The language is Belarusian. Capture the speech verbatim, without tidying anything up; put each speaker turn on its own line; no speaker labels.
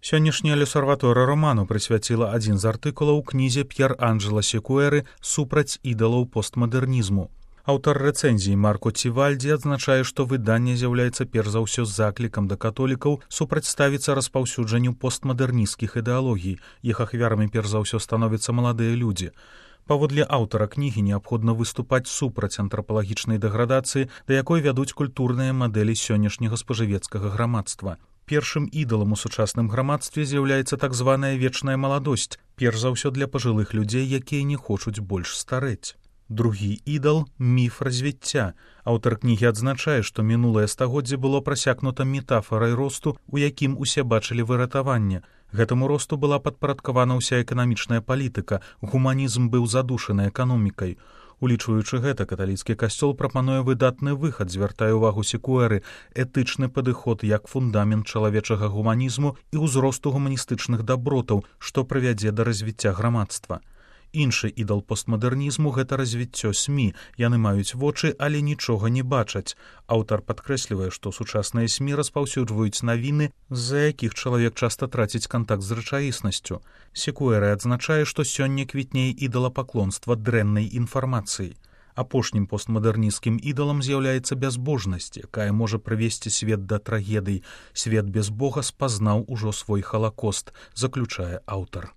Сённяшняя L'Osservatore Romano прысвяціла адзін з артыкулаў кнізе П'ер Анджела Секуэры «Супраць ідалаў постмадэрнізму». Аўтар рэцэнзіі Марко Цівальдзі адзначае, што выданне з'яўляецца перш за ўсё заклікам да католікаў супрацьставіцца распаўсюджанню постмадэрнісцкіх ідэалогій. Іх ахвярамі перш за ўсё становяцца маладыя людзі. Паводле аўтара кнігі неабходна выступаць супраць антрапалагічнай дэградацыі, да якой вядуць культурныя мадэлі сённяшняга спажывецкага грамадства. Першым ідалам у сучасным грамадстве з'яўляецца так званая вечная маладосць, перш за ўсё для пажылых людзей, якія не хочуць больш старэць. Другі ідал – міф развіцця. Аўтар кнігі адзначае, што мінулае стагоддзе было прасякнута метафарай росту, у якім усе бачылі выратаванне. Гэтаму росту была падпарадкавана ўся эканамічная палітыка, гуманізм быў задушаны эканомікай. Улічваючы гэта, каталіцкі касцёл прапануе выдатны выхад, звяртае ўвагу Секуэры, этычны падыход як фундамент чалавечага гуманізму і ўзросту гуманістычных дабротаў, што прывядзе да развіцця грамадства. Іншы ідал постмадэрнізму – гэта развіццё СМІ. Яны маюць вочы, але нічога не бачаць. Аўтар падкрэслівае, што сучасныя СМІ распаўсюджваюць навіны, з-за якіх чалавек часта траціць кантакт з рэчаіснасцю. Секуэра адзначае, што сёння квітнее ідалапаклонства дрэннай інфармацыі. Апошнім постмадэрнісцкім ідалам з'яўляецца бязбожнасць, якая можа прывесці свет да трагедый. Свет без Бога спазнаў ужо свой халакост, заключае аўтар.